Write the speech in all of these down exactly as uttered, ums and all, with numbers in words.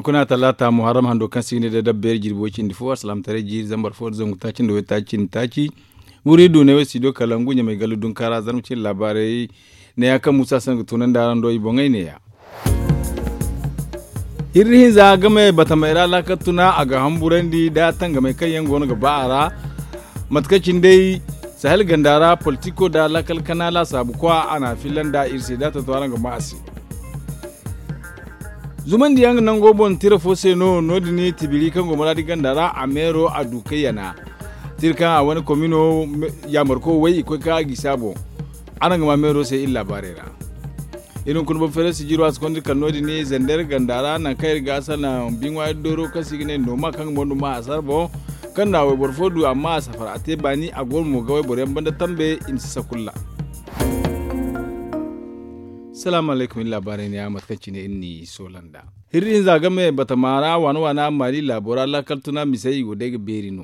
Kuna talaata muharram hando kaŋ se i ga ne day dabbeeri jirbi way cindi fo alsalaamataray jiiri zambar fo nda zangu taaci nda waytaaci cindi taaci. Wuri du ne way studio kalangu ɲamay gallu dunkaara zarma cine laabaarey ne ya kaŋ muusa se no ga tunandi araŋ do i boŋey ne ya. Hirri hinza game batamey ra laakal tuna a ga hamburandi nda tangamey kaŋ yaŋ go no ga ba a ra. Mate kaŋ cine day sahel ganda ra politiko nda laakal kana laasaabu kwa a na a filla nda iri se da tonton araŋ ga ma a se. Zumandiyaŋ ga nango boŋ tira fo se no no- din tibiri kaŋ go maraadi ganda ra a meero a du kay yana tira kaŋ a wane komino yaamarko way i koy ka gisi a boŋ. Araŋ ga ma meero se iri laabaarey ra. Iri hunkuna boŋ feere sijiro a si konda kala no- din zander ganda ra nangu kaŋ iri ga a salaŋ biŋwa iri dooro kaŋ se i ga ne nooma kaŋ ga mondo ma a sara boŋ. Kaŋ na wayboro fo du amma a safar a te baani a go no mo ga wayboro yaŋ banda tambe i ma si sakulla. Salaamu alaykum iri laabaarey ne ya mate kaŋ cine iri n'i soola nda hirri hinza game batama ra waana waana maali laabo ra laakal tuna misey i go day ga beeri no.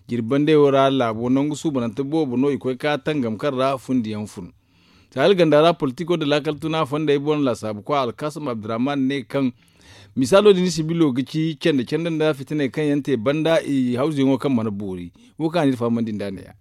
Jirbi bandey wo ra laabo nangu suubanante boobo no i koy ka tangam kaŋ ra fundiyaŋ fun. Sahel ganda ra politiko nda laakal tuna fondey boŋ laasaabu kwa alkasum abdurrahman ne kaŋ misaalo din sibilo ga ci cende cende nda fitiney kaŋ yaŋ te banda i hawzuyaŋo kaŋ mana boori. Wo kaŋ a n'iri fahamandi nd'a ne ya.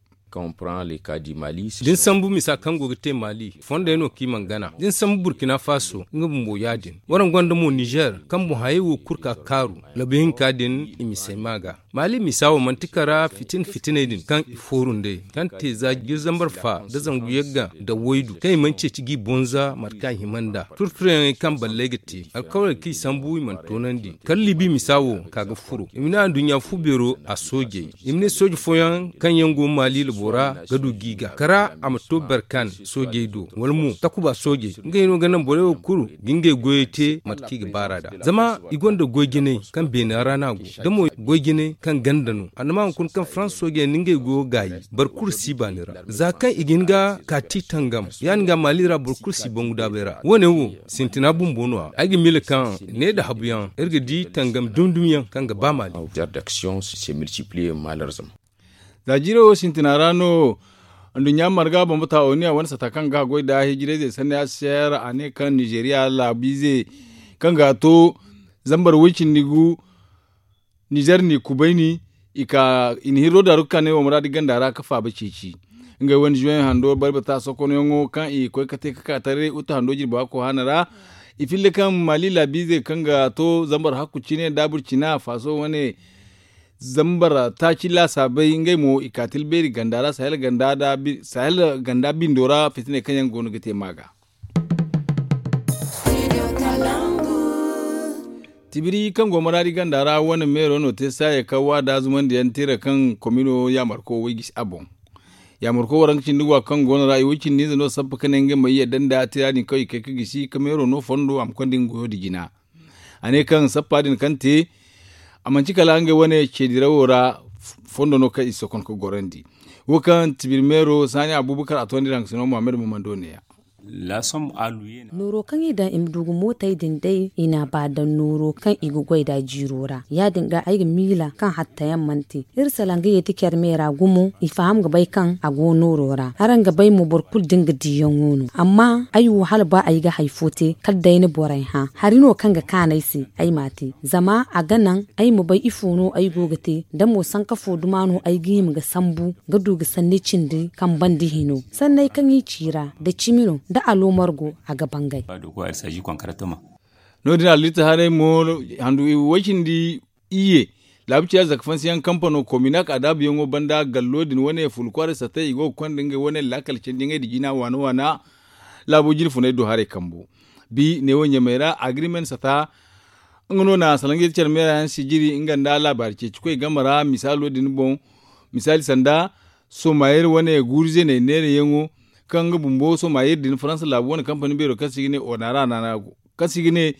Da ni sambu misa kaŋ go ga te maali fondey no kaŋ i mana gana da ni sambu burkina faso nga bumbo ya- din waraŋ gonda mo nizer kaŋ boŋ hayey wo kulu ka kaaru labu hinka din i misey ma ga. Maali misa wo manti kara fitina fitiney din kaŋ i fooru nd'ey kaŋ te za jiri zambar fa nda zangu yagga nda waydu kaŋ i mana ceeci g'i bonza mate kaŋ a hima nd'a turturyaŋey kaŋ balley ga te alkawaley kaŋ i sambu i mana toonandi kala libi misa wo ka ga furo i ma ne anduɲɲa fu beero a soojey. I ma ne sooje fooyaŋ kaŋ yaŋ go maali labo ra ga du g'i ga kara a ma to berkan soojey do wala mo takuba soojey ngey no ga naŋ borey wo kulu ga ngey goyey te mate kaŋ i ga baar'a nd'a zama i gonda goy-jinay kaŋ beena ra no a go da mo goy-jinay kaŋ ganda no annama hunkuna kaŋ farans soojey na ngey goyo gaayi boro kulu si baani ra. Za kaŋ i ga hin ga kaati tangam ya- din ga maali ra boro kulu si bangu daabay ra wo- ne wo sintina bumbo no- ya ay ga miila kaŋ ne nda habuyaŋ iri ga di tangam dumi dumi yaŋ kaŋ ga ba maali. Za jiiro wo sintina ra no anduɲɲa marga bambata oniya wane sata kaŋ ga goy nda hijirayzey sanni a se a ne kaŋ nizeriya laabiize kaŋ ga a to zambar way cindi gu. Nizer n'i kubayni i ka i na hirro daaru ga ka ne wo muraadi ganda ra ga faaba ceeci. Ngey wane zuwey hando barbata sokonyaŋo kaŋ i ga koy ga te ga ka taray uta hando jirba kohaana ra. I filla kaŋ maali laabiizey kaŋ ga to zambar hakku cine daabur cina faaso wane zambar taaci laasaabey ngey mo i ka tilbeeri ganda ra sahel ganda bindo ra fitiney kaŋ yaŋ go no ga te ma ga. Tibiri kaŋ go maraadi ganda ra wane meero no te saaya kaŋ waada zumandiyaŋ tira kaŋ komino yaamarko way gisi a boŋ. Yaamarko waranka cindi go a kaŋ go no ra i way cindi ize no sappa ka ne ngey ma yadda nda tira din kaŋ i kay ka gisi ka meero no fondo a ma konda nga goyo nda jina. A ne kaŋ sappa din kaŋ te a manci kala ngey wane ceedirawo ra fondo no kaŋ i sokon ka gorandi. Wo kaŋ tibiri meero saani abubakar a toonandi ra nga sino muhammad mumando ne ya. Nooro kaŋ i daŋ i ma du ga mootey din day i n'a ba daŋ nooro kaŋ i ga goy nd'a jiiro ra ya- din ga ay ga miila kaŋ hattayaŋ mana te. Iri salaŋ ga yeeti care me ra gumo i faham ga bay kaŋ a go nooro ra araŋ ga bay mo boro kulu da nga diiyaŋo no. Amma ay wo hala ba ay ga hari fo te kala day ni borey hã hari no kaŋ ga kaan ay se ay m'a te zama a ga naŋ ay ma bay ifo no ay go ga te da mo sanka fo duma no ay ga hima ga sambu ga du ga sanni cindi kaŋ banda hino sanney kaŋ i ci ra da cimi no da aloomar go a ga bangay. No- din allitta haray mo handu way cindi iyye laabu ciya zaka fansiyaŋ kampano kominak adaabuyaŋo banda gallo din wane fulu kwaaray sattay i go ga konda ngey wane laakal candiyaŋey nda jina waana waana. Laabo jine funay do haray kambo bi neewo ɲamey ra agrimen sata. Nga no na salaŋ ga yeeti care meera yaŋ sijiri nga nda laabaari ceeci koy game ra misaalo din boŋ. Misaali sanda somayir wane guuru zeeney neerayaŋo kaŋ nga bumbo somayir din faransa laabu wane kampani beero kaŋ se i ga ne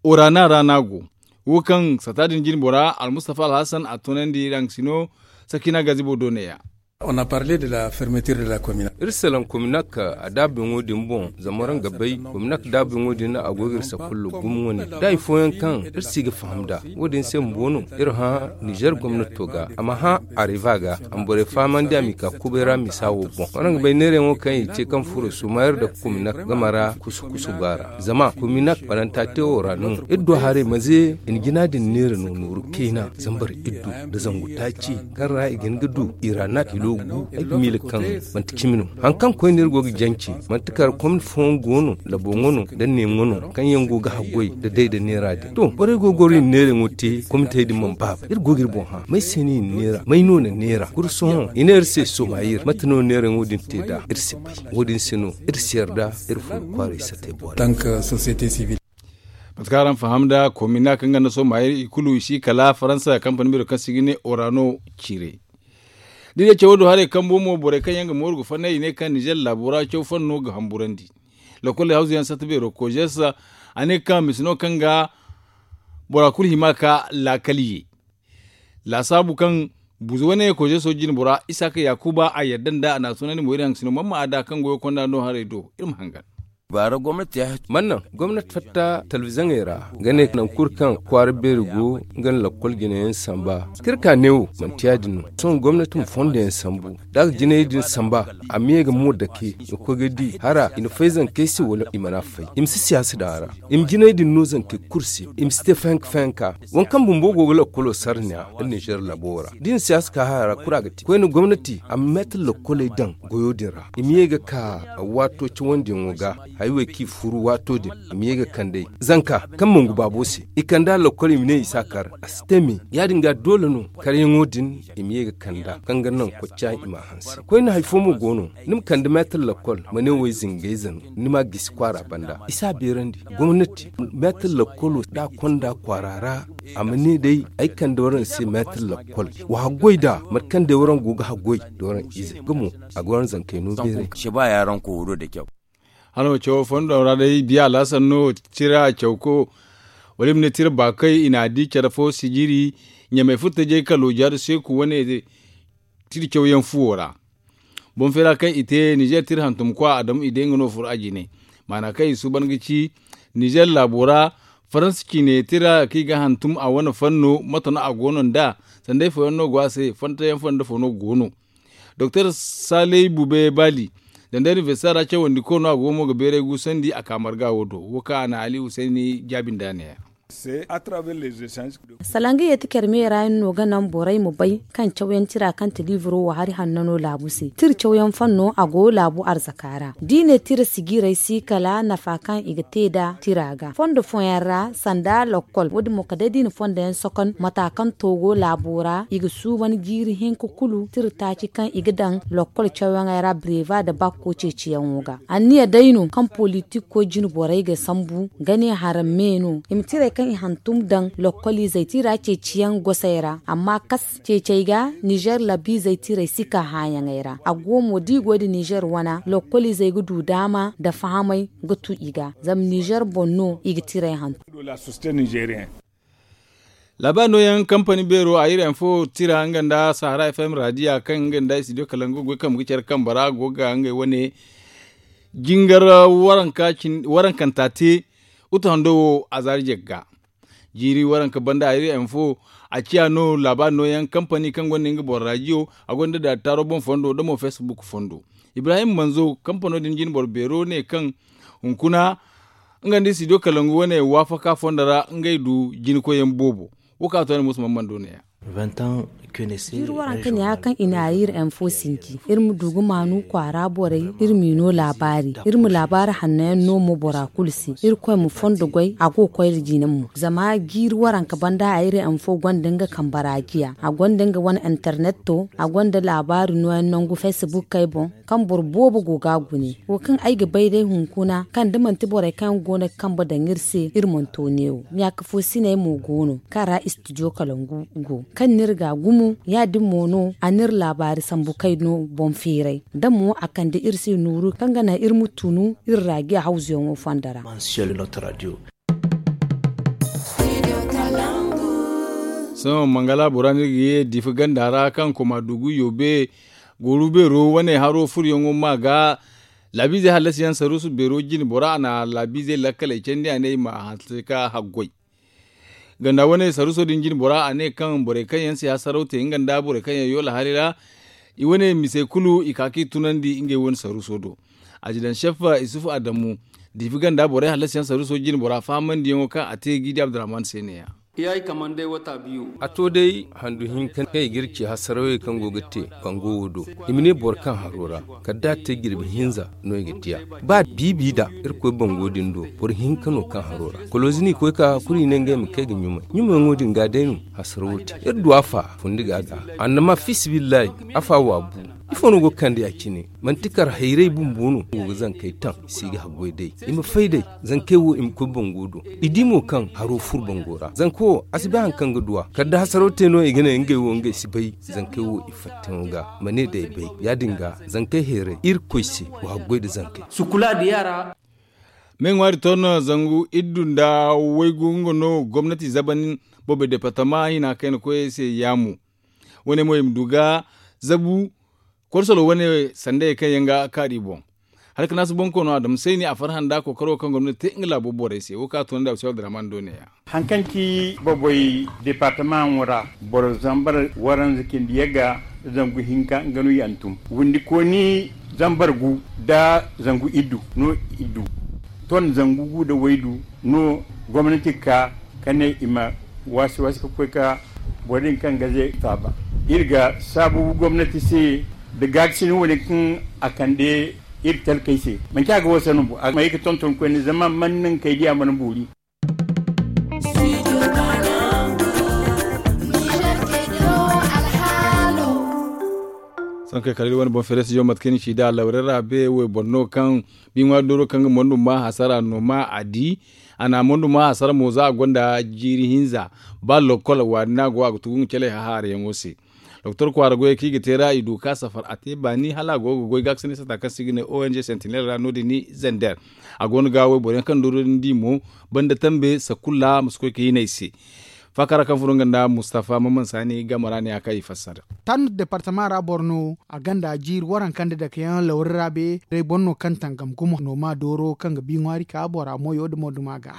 orana ra no a go. Wo kaŋ sata din jine bora almustafa alhasan a toonandi ra nga si no sakina gazibo do neeya. On a parle de la fermeture de la commune. Iri salaŋ kominak a daabuyaŋo din boŋ zama araŋ ga bay kominak daabuyaŋo din a go ga iri sakullo gumo wane da hari fooyaŋ kaŋ iri si ga faham nd'a. Wo- din se bumbo no iri hã nizer gomnato ga a ma hã areva ga a ma borey fahamandi a m'i ka kubay ra misa wo boŋ. Araŋ ga bay neerayaŋo kaŋ i te kaŋ furo sumayar nda kominak game ra kusu kusu go a ra zama kominak bananta te wo ra no iri du haray maze i na jina din neera no nooru kayna zambar iddu nda zangu taaci kaŋ ra i ga hin ga du i ra na kilo gu. Ay ga miila kaŋ manti cimi no. Hari kaŋ koyne iri go ga jance manti kala komni fooyaŋ go no laboŋo no nda neeŋo no kaŋ yaŋ go ga haggoy nda day nda neera din to borey go ga goro i na neerayaŋo te komitey din mana baaba iri go ga iri boŋ hã may se no i na neera may no na neera kuru sohõ i ne iri se somayir mate no neerayaŋo din te nd'a iri si bay. Wo- din se no iri si yarda iri furo kwaaray satey boori. Tank société civile. Mate kaŋ araŋ faham nda komina kaŋ ga nda sohõ ma iri i kulu i si kala faransa kampani beero kaŋ se i ga ne orano ciire. Da i ne cawo do haray kambo mo borey kaŋ yaŋ ga mooru ga fannay i ne kaŋ nizer laabo ra caw fanno ga hamburandi. Lokol hawzu yaŋ satta beero kojes a ne kaŋ misa no kaŋ ga bora kulu hima ka laakal ye. Laasaabu kaŋ buuzu wane kojeso jine bora isaaka yaakuba a yadda nd'a a n'a tunandi mo iri haŋ ga si no mamma a da kaŋ goyo konda no haray do iri ma hangan. Manna gomnati fatta talbizaŋey ra ga ne naŋ kulu kaŋ kwaara beeri go nga nda lakkol jine yaŋ samba. Kaŋ iri ka neewo manti ya- din no sohõ gomnati ma fondo yaŋ sambu da a ga jinay din samba a ma ye ga mo dake ga koy ga di hara i na fay zankey se wala i mana fay i ma si siyaasa daŋ a ra. I ma jinay din no zankey kulu se i ma si te fayanka fayanka. Waŋ kaŋ bumbo go ga lakkolo sarniya nda ninzeer labo ra da i na siyaasa ka hara kulu a ga te koyne gomnati a ma meetar lakkoley daŋ goyo din ra i ma ye ga ka waato cawandiyaŋo ga. Hayo wey kaŋ i furu waato din i ma ye ga kand'ey zanka kaŋ mangu baabo se i kand'a lakkol i ma ne i si a kar a si te me. Ya- din ga doole no karyaŋo din i ma ye ga kand'a kaŋ ga naŋ kocca i m'a hanse koyne hari fo mo go no ni ma kande meetar lakkol ma ne wo ay zingayze no. Ni m'a gisi kwaara banda i si a beerandi gomnati meetar lakkolo da a konda kwaara ra. A ma ne day ay kande waraŋ se meetar lakkol wa haggoy nd'a mate kaŋ day waraŋ go ga haggoy nda waraŋ ize nga mo a ga waraŋ zankey no beeray. Hala wo cawo fondo ra day biya alhasan no tira cawko wala i ma ne tira baakay i n'a di care fo sijiri ɲamay furtajey kalo jaadu seeku wane tira cawyaŋ fuwo ra. Boŋ feera kaŋ i te nizer tira hantumkwa adamu i day nga no furo a jine maana kaŋ i suuban ga ci nizer laabo ra faransa ciine tira kaŋ i ga hantum a wane fanno mate no a go no nd'a sanda ifo yaŋ no go a se fantayaŋ fo nda fo no go no. Doktor saley bube bali danda inibersita ra cawandiko no a go mo ga beeray guusandi a ka marga wo do wo kaŋ a na ali husayni jaabi nda a ne ya. Salaŋ ga yeeti care me ra yaŋ no ga naŋ borey ma bay kaŋ cawyaŋ tira kaŋ te liiburo wo hari hanno no laabu se tira cawyaŋ fanno a go laabu arzaka ra da i ne tira sijirey si kala nafa kaŋ i ga te nd'a tira ga fondo fooyaŋ ra sanda lakkol wo- din mo kala day da i na fondo yaŋ sokon mata kaŋ to go laabo ra i ga suuban jiiri hinka kulu tira taaci kaŋ i ga daŋ lakkol cawyaŋey ra bireeba nda bakko ceeciyaŋo ga anniya day no kaŋ politik koy jine borey ga sambu ga ne haram me no i ma tirey kaŋ i hantum daŋ lakkol izey tira ceeciyaŋ gosey ra amma kas ceecey ga nizer labiizey tirey si ka hããyaŋey ra a go mo da i goy nda nizer wana lakkol izey ga du daama nda fahamay ga tu i ga zama nizer boŋ no i ga tirey hantum. Laabaari nooyaŋ kampani beero a iri info tira nga nda sahara fm raadiya kaŋ nga nda studio kalangu goy kambe ga care kambe ra go ga ngey wane jingar warankanta te utu hando wo a zaari jagga. Jiiri waranka banda a iri info a ciya no laabaari nooyaŋ kampani kaŋ gonda nga boro raadiyo a gonda daataaro boŋ fondo nda mo facebook fondo. Ibrahim manzo kampano din jine boro beero ne kaŋ hunkuna nga nda studio kalangu wane waafaka fondo ra ngey du jina koyyaŋ boobo. Wo kaŋ a to a na musu mana mana do ne ya. Jiiri waranka ne ya kaŋ i na a iri info sinji iri ma du ga maanu kwaara borey iri m'i no laabaari iri ma laabaari hanno yaŋ no mo bora kulu se iri koy ma fondo goy a go ga koy nda jina mo zama jiiri waranka banda a iri info gonda nga kambe ra jiya a gonda nga wane internet to a gonda laabaari nooyaŋ nangu facebook kay boŋ kaŋ boro boobo go ga a gune wo kaŋ ay ga bay day hunkuna kaŋ da manti borey kaŋ yaŋ go no ga kambe daŋ iri se iri mana to neewo ɲaaka fo siney mo go no kaŋ ra studio kalangu go kaŋ n'iri ga gumo ya- din mo no a n'iri laabaari sambu kay no boŋ feeray da mo a kande iri se nooru kaŋ ga naŋ iri ma tunu iri ra jiya hawzuyaŋo fondo ra. Sohõ mangala bora no iri ga ye diifa ganda ra kaŋ koma dugu yoobe Gooru beero wane haro furoyaŋo ma ga laabiizey hallasiyaŋ saruusu beero jine bora a na laabiizey lakkaley candi a ne i ma hanse ka haggoy. Ganda wane saruuso din jine bora a ne kaŋ borey kaŋ yaŋ si hasaraw te nga nda borey kaŋ yaŋ yoola hari ra i wane misey kulu i ka ka i tunandi ngey wane saruuso do. Azidan sef isufu adamu diifi ganda borey hallasiyaŋ saruuso jine bora fahamandiyaŋo kaŋ a te g'i di abdurrahman se ne-ya. A to day handu hinka kaŋ i ga iri ci hasarawey kaŋ go ga te bango wo do. I ma ne boro kaŋ haro ra kala da a te jirbi hinza no i ga di a. Ba biibi da irkoy bango din do boro hinka no kaŋ haro ra kolozi n'i koy ka kulu i ne ngey ma kay ga ɲumay ɲumayyaŋo din ga day no. Hasarawo te iri du afa fundi ga ga annama fisibillahi. Afa wa bu ifo no go ga kande ya cine? Manti kar hayray bumbo no go ga zankey taŋ i si ga haggoy day i ma fay day. Zankey wo i ma koy bango do i di mo kaŋ haro fur bango ra zanka wo a si bay hari kaŋ ga du a kala da hasaraw te no i ga ne ngey wo ngey si bay. Zankey wo i fattaŋo ga ma ne day bay ya- din ga zankey hayray irkoy se wa haggoy nda zankey. Me ŋwaari ton zangu iddu nda waygu nga no gomnati zaban boobay departama hina kayna koyey se yaamu. Wane mo i ma du ga zabu korsolo wane sandayey kaŋ yaŋ ga kaari boŋ. Hala ka naasu boŋ koono adama sayni a farhã nda kookaro kaŋ gomnati te nga laabo borey se wo kaŋ a toonandi abusay abdurrahman do ne-ya. Hari kaŋ ci boboy departamaŋo ra boro zambar waranza cindi yagga zangu hinka nga no i hantum windi kooni zambar gu nda zangu iddu no iddu ton zangu gu nda waydu no gomnati ga ka ka ne i ma waasi waasi ka koy ka boro din kaŋ ga ze faaba. Iri ga saabu gomnati se nda gaakasin wane kaŋ a kande iri talkey se. Manci a ga wasa no bo a ma ye ga tonton koyne zama man naŋ kay diya mana boori. Sohõ kay kala iri wane boŋ feere studio mate kaŋ ni ci nd'a lawre ra be wayboro no kaŋ bi ŋwaari dooro kaŋ ga mondu ma hasara no ma a di. A na mondu ma hasara mo za a gonda jiiri hinza ba lokkol waani no a go a ga tugu nga caley hahaarayaŋo se. Doktor kwaara goyey kaŋ i ga te ra i du ka safar a te baani hala a go ga goy gaakasinay sata kaŋ se i ga ne ong sentinel ra no- din ni zander. A go no ga wayboro yaŋ kaŋ dooro din di mo banda tambe sakulla ma si koy ka hina i se. Faakara kaŋ furo nga nda mustafa maman saani game ra ne a kaŋ i fassara. Tandu departama ra boro no a gonda jiiri waranka nda dakeyaŋ lawri ra be day boro no kaŋ tangam gumo nooma dooro kaŋ ga bi ŋwaari ka bora moyo nda mo duma ga.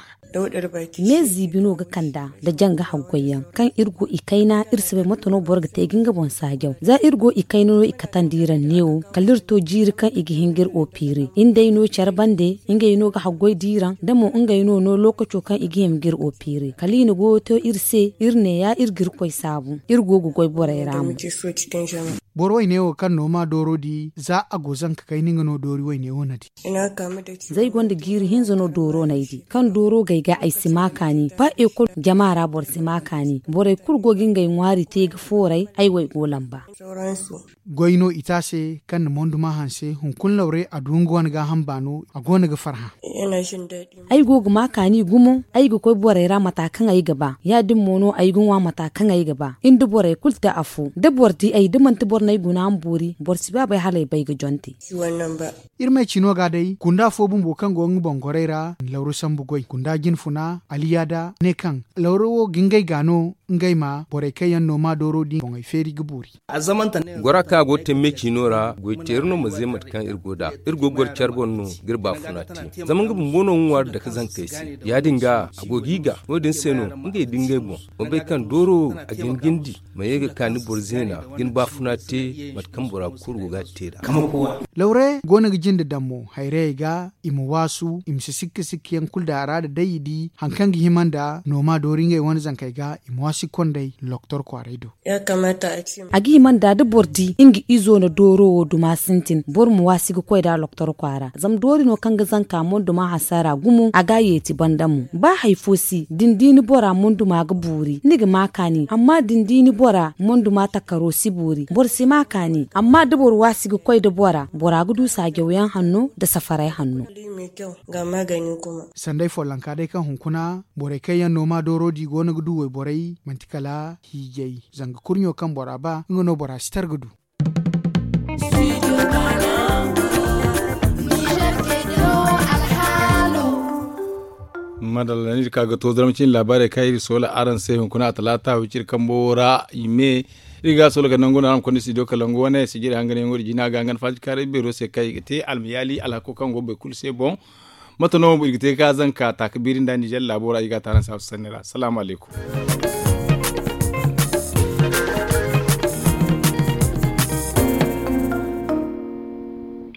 Me ziibi no ga kand'a nda janga haggoyyaŋ kaŋ iri go i kayna iri si bay mate no boro ga te ga nga boŋ saajaw za iri go i kayna no i katandi iri ra neewo kala iri to jiiri kaŋ i ga hin ga iri opeere iri nd'ey no care bande. Ngey no ga haggoy da iri ra nda mo ngey no no lookaco kaŋ i ga hima ga iri opeere kala i na goyo to iri se iri ne ya iri ga iri koy saabu iri go ga goy borey ra mo. Boro wayne wo kaŋ no ma dooro di za a go zanka kayna nga no doori wayne wo na di. Za ay gonda jiiri hinza no dooro no ay di kaŋ dooro gay ga ay si ma kaani ba ekol jama ra boro si ma kaani borey kulu go ga ngey ŋwaari te ga fooray ay wo ay go lamba. Goy no i te a se kaŋ na mondu ma hanse hunkuna lawre a du nga wane gaaham baano a go no ga farhã. Ay go ga ma kaani gumo ay ga koy borey ra mata kaŋ ay ga ba ya- din mo no ay ga ŋwa mata kaŋ ay ga ba iri nda borey kulu te afo da boro di ay da manti boro no ay guna ma boori boro si ba bay hala ay bay ga jonte. Iri ma ay ci no ga day gunda fo bumbo kaŋ go nga boŋ gorey ra na lawro sambu goy gunda jinfuna aliyaada ne kaŋ lawro wo ga ngey ga no ngey ma borey kaŋ yaŋ no ma dooro din boŋey feeri ga boori. Gora kaŋ a go ga te me ciino ra goy teeri no ma ze mate kaŋ iri go nd'a iri go ga goro care boŋ no ga iri baafuna te zama nga bumbo no ga ŋwaari dake zankey se ya- din ga a go g'i ga no- din se no ngey da ngey boŋ ma bay kaŋ dooro a ga hin ga ni di ma ye ga ka ni boro zeena ga ni baafuna te mate kaŋ bora kulu go ga a te nd'a. Lawre go no ga jinde daŋ mo hayrayey ga i ma waasu i ma si sikka sikka yaŋ kulu daŋ a ra nda day i di hari kaŋ ga hima nda nooma doori ngey wane zankey ga i ma waasi ga kond'ey loktor kwaaray do. A ga hima nda da boro di nga izo na dooro wo duma sintin boro ma waasi ga koy nd'a loktor kwaara zama doori no kaŋ ga zanka monduma hasara gumo a ga a yeeti banda mo ba hari fo si da ni di ni bora monduma ga boori ni ga ma kaani amma da ni di ni bora monduma takaro si boori boro si ma kaani amma da boro waasi ga koy nda bora bora ga du saajaw yaŋ hanno nda safaray hanno. Sanday follonka day kaŋ hunkuna borey kaŋ yaŋ no ma dooro di go no ga du wayborey manti kala hiijay zanga kurɲo kaŋ bora ba nga no bora si tar ga du. Madalla ni di ka ga to zarma cine laabaarey kaŋ iri soola araŋ se hunkuna a talaata wiciri kambo ra i me Iri ga a solo ga nangu no araŋ ma konda studio kalangu wane sijiri hanganyaŋo da jina ga hangan faji kaaray beero se kaŋ i ga te almayaali alhako kaŋ go boro kulu se boŋ. Mate no iri ga te ga zanka taaka biiri nda ninzeer laabo ra i ga a te araŋ se a si sanni ra salaamu alaykum.